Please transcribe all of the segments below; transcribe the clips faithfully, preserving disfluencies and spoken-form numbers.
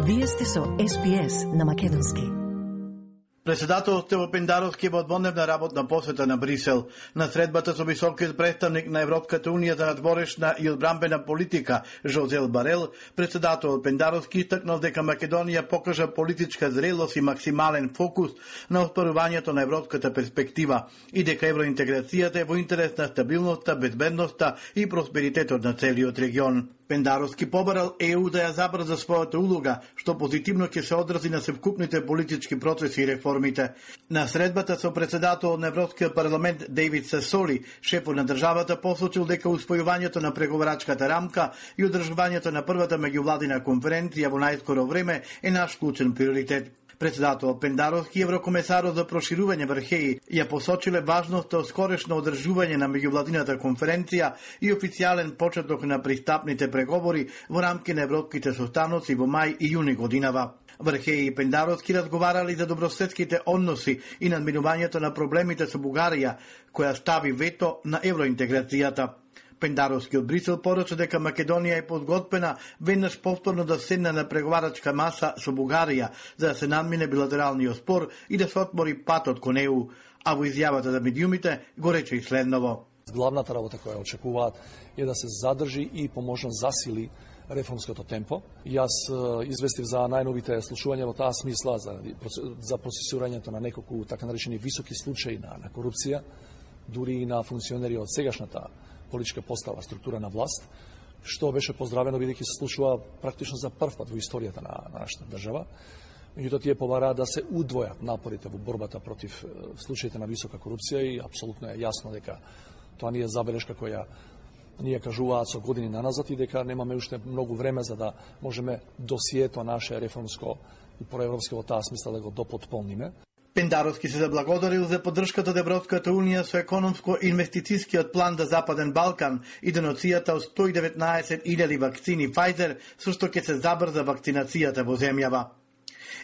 Вие сте со Ес Би Ес на македонски. Председател Стево Пендаровски во дводневна работна посета на Брисел. На средбата со високиот представник на Европската унија за надворешна и одбранбена политика Жозел Барел, председател Пендаровски истакнал дека Македонија покажа политичка зрелост и максимален фокус на оспорувањето на европската перспектива и дека евроинтеграцијата е во интерес на стабилноста, безбедноста и просперитетот на целиот регион. Пендаровски побарал Е У да ја забрза својата улога, што позитивно ќе се одрази на севкупните политички процеси и реформите. На средбата со председател на Европскиот парламент Дейвид Сасоли, шефот на државата посочил дека усвојувањето на преговарачката рамка и одржувањето на првата меѓувладина конференција во најскоро време е наш клучен приоритет. Председател Пендаровски и еврокомесарот за проширување Вархеи ја посочиле важноста од скорешно одржување на меѓувладината конференција и официјален почеток на пристапните преговори во рамки на европските состаноци во мај и јуни годинава. Вархеи и Пендаровски разговарали за добрососедските односи и надминувањето на проблемите со Бугарија, која стави вето на евроинтеграцијата. Пендаровски од Брисел порача дека Македонија е подготвена веднаш повторно да седне на преговарачка маса со Бугарија за да се надмине билатералниот спор и да се отвори патот кон Е У, а во изјавата за медиумите го рече и следново. Главната работа која очекуваат е да се задржи и поможно засили реформското темпо. Јас известив за најновите случувања во таа смисла за, за процесирањето на неколку така наречени високи случаи на, на корупција, дури и на функционери од сегашната политичка постава, структура на власт, што беше поздравено бидејќи се случува практично за прв пат во историјата на, на нашата држава. Меѓутоа тие побараат да се удвојат напорите во борбата против случаите на висока корупција и апсолутно е јасно дека тоа не е забелешка која ние кажуваат со години наназад и дека немаме уште многу време за да можеме досието наше реформско и проевропско во таа смисла да го допотполниме. Пендаровски се заблагодарил за поддршката од Европската унија со економско-инвестицијскиот план за Западен Балкан и доноцијата од сто и деветнаесет илјади вакцини Pfizer, со што ќе се забрза вакцинацијата во земјава.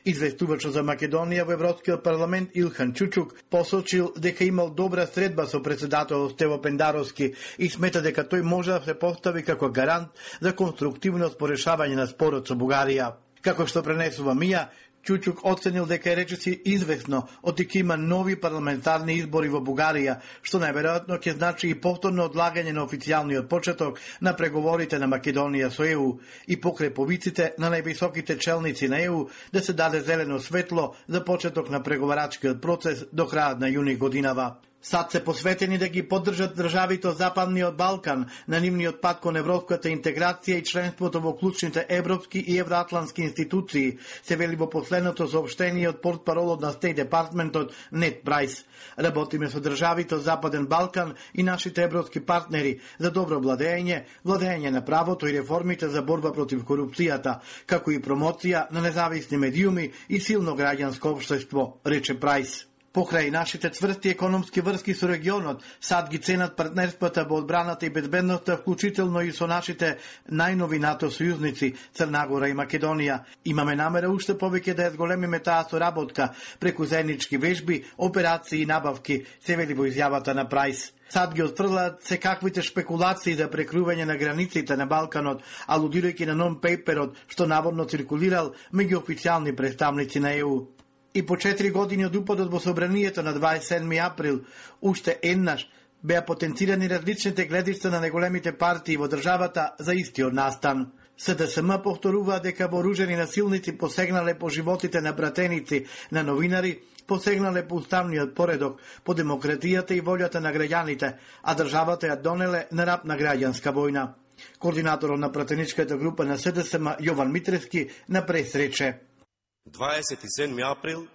Известувачот за Македонија во Европскиот парламент Илхан Чучук посочил дека имал добра средба со председател Стево Пендаровски и смета дека тој може да се постави како гарант за конструктивност по решавање на спорот со Бугарија. Како што пренесува Мија, Чучук оценил дека е речиси известно од дека има нови парламентарни избори во Бугарија, што најверојатно ќе значи и повторно одлагање на официјалниот почеток на преговорите на Македонија со Е У и покрај повиците на највисоките челници на Е У да се даде зелено светло за почеток на преговарачкиот процес до крајот на јуни годинава. Сад се посветени да ги поддржат државите од Западниот Балкан на нивниот пат кон европската интеграција и членството во клучните европски и евроатлантски институции, се вели во последното соопштение од портпаролот на Стејт Департментот Нет Прайс. Работиме со државите од Западен Балкан и нашите европски партнери за добро владење, владење на правото и реформите за борба против корупцијата, како и промоција на независни медиуми и силно граѓанско општество, рече Прайс. Покрај нашите цврсти економски врски со регионот, сад ги ценат партнерствата во одбраната и безбедноста, вклучително и со нашите најнови НАТО сојузници Црна Гора и Македонија. Имаме намера уште повеќе да ја зголемиме таа соработка преку заеднички вежби, операции и набавки, се вели во изјавата на Прайс. Сад ги отфрлаат секаквите шпекулации за прекрување на границите на Балканот, алудирајќи на нон-пейперот што наводно циркулирал меѓу официјални представници на Е У. И по четири години од упадот во собранието на дваесет и седми април, уште еднаш беа потенцирани различните гледишта на неголемите партии во државата за истиот настан. Се Де Ес Ем повторува дека вооружени насилници посегнале по животите на братеници на новинари, посегнале по уставниот поредок, по демократијата и волјата на граѓаните, а државата ја донеле на рап на граѓанска војна. Координаторот на пратеничката група на Се Де Ес Ем Јован Митревски на прес рече: дваесет и седми април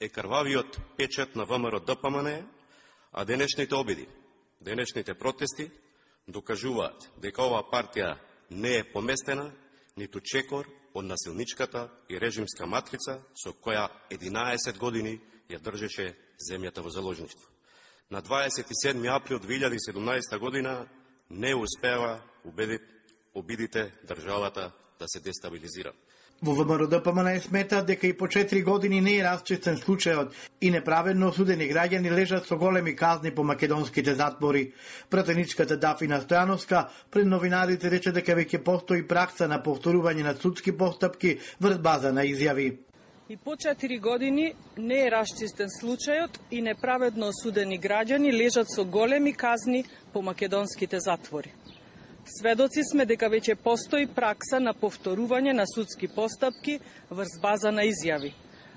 е крвавиот печат на ВМРО Д П М Н, а денешните обиди, денешните протести докажуваат дека оваа партија не е поместена ниту чекор од насилничката и режимска матрица со која единаесет години ја држеше земјата во заложништво. На дваесет и седми април две илјади и седумнаесета година не успева убедит обидите државата да се дестабилизира. Во ВМРО-ДПМН сметаат дека и по четири години не е расчистен случајот и неправедно осудени граѓани лежат со големи казни по македонските затвори. Пратеничката Дафина Стојановска пред новинарите рече дека веќе постои пракса на повторување на судски постапки врз база на изјави. И по четири години не е расчистен случајот и неправедно осудени граѓани лежат со големи казни по македонските затвори. Сведоци сме дека веќе постои пракса на повторување на судски постапки врз база на изјави.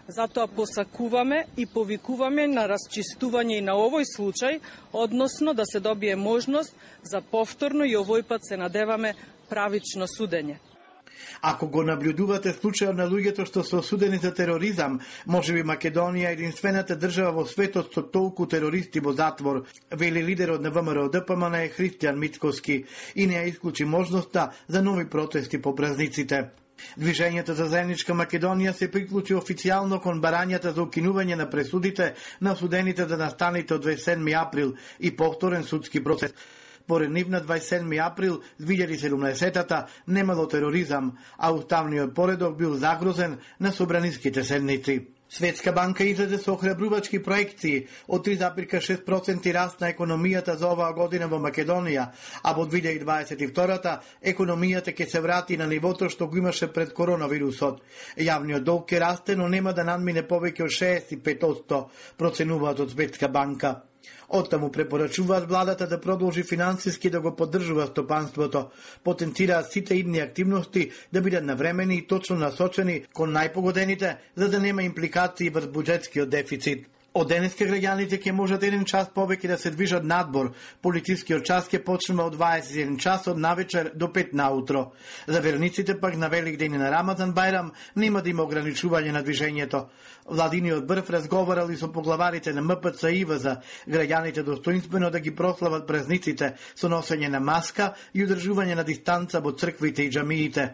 Затоа посакуваме и повикуваме на расчистување и на овој случај, односно да се добие можност за повторно и овој пат се надеваме правично судење. Ако го наблюдувате случајот на луѓето што се осудени за тероризам, можеби Македонија е единствената држава во светот со толку терористи во затвор, вели лидерот на ВМРО-ДПМН Христијан Мицковски и не ја исклучи можноста за нови протести по празниците. Движењето за заедничка Македонија се приклучи официјално кон барањата за укинување на пресудите на осудените за настаните од дваесет и седми април и повторен судски процес. Поред нив на дваесет и седми април две илјади и седумнаесетта немало тероризам, а уставниот поредок бил загрозен на собраниските седници. Светска банка излезе со охрабрувачки проекции од три зарез и шест проценти раст на економијата за оваа година во Македонија, а во две илјади и дваесет и втора економијата ќе се врати на нивото што го имаше пред коронавирусот. Јавниот долг ќе расте, но нема да надмине повеќе од шеесет и пет проценти, проценуваат од Светска банка. Оттаму препорачуваат владата да продолжи финансиски да го поддржува стопанството, потенцираат сите идни активности да бидат навремени и точно насочени кон најпогодените, за да нема импликации врз буџетскиот дефицит. Од денеска граѓаните ќе можат еден час повеќе да се движат надбор. Полицискиот час ќе почнува од дваесет и еден час од навечер до пет наутро. За верниците пак на Великден и на Рамазан Бајрам нема да има ограничување на движењето. Владиниот брв разговарал и со поглаварите на М П Ц и В за граѓаните достоинствено да ги прослават празниците со носење на маска и одржување на дистанца во црквите и џамиите.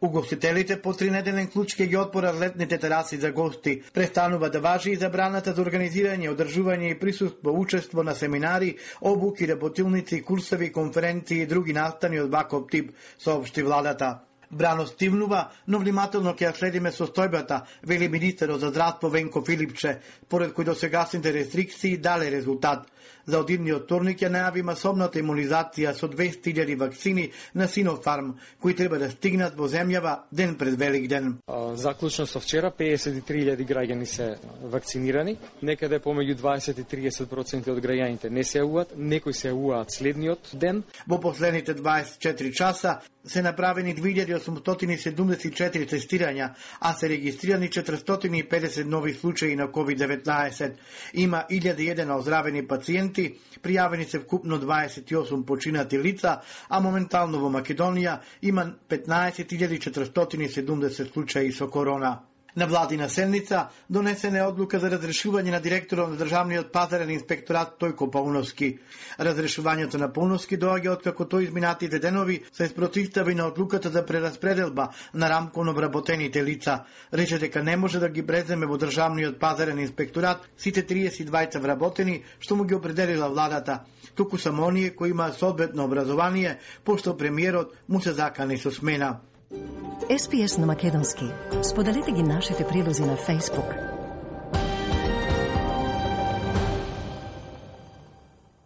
Угостителите по тринеделен клуч ќе ги отворат летните тераси за гости. Престанува да важи и забраната за организирање, одржување и присуство, учество на семинари, обуки, работилници, курсови, конференции и други настани од ваков тип, соопшти владата. Брано стивнува, но внимателно ќе ја следиме состојбата, вели министерот за здравство Венко Филипче, поред кој досегашните рестрикции дале резултат. За одидниот вторник ја најави масовната имунизација со двесте илјади вакцини на Синофарм, кои треба да стигнат во земјава ден пред Великден. Заклучно со вчера пеесет и три илјади граѓани се вакцинирани, некаде помеѓу дваесет и триесет проценти од граѓаните не се јавуваат, некои се јавуваат следниот ден. Во последните дваесет и четири часа се направени две илјади осумстотини седумдесет и четири тестирања, а се регистрирани четиристотини и педесет нови случаи на ковид деветнаесет. Има илјада и еден оздравени пациенти, пријавени се вкупно дваесет и осум починати лица, а моментално во Македонија има петнаесет илјади четиристотини и седумдесет случаи со корона. На владина седница донесена е одлука за разрешување на директорот на Државниот пазарен инспекторат Тојко Пауновски. Разрешувањето на Пауновски доаѓа откако тој изминатите денови се спротивстави на одлуката за прераспределба на рамкон обработените лица. Рече дека не може да ги преземе во Државниот пазарен инспекторат сите триесет и двајца вработени што му ги определила владата. Туку само оние кои имаат соодветно образование, пошто премиерот му се закани со смена. Ес Пи Ес на македонски. Споделете ги нашите прилози на Facebook.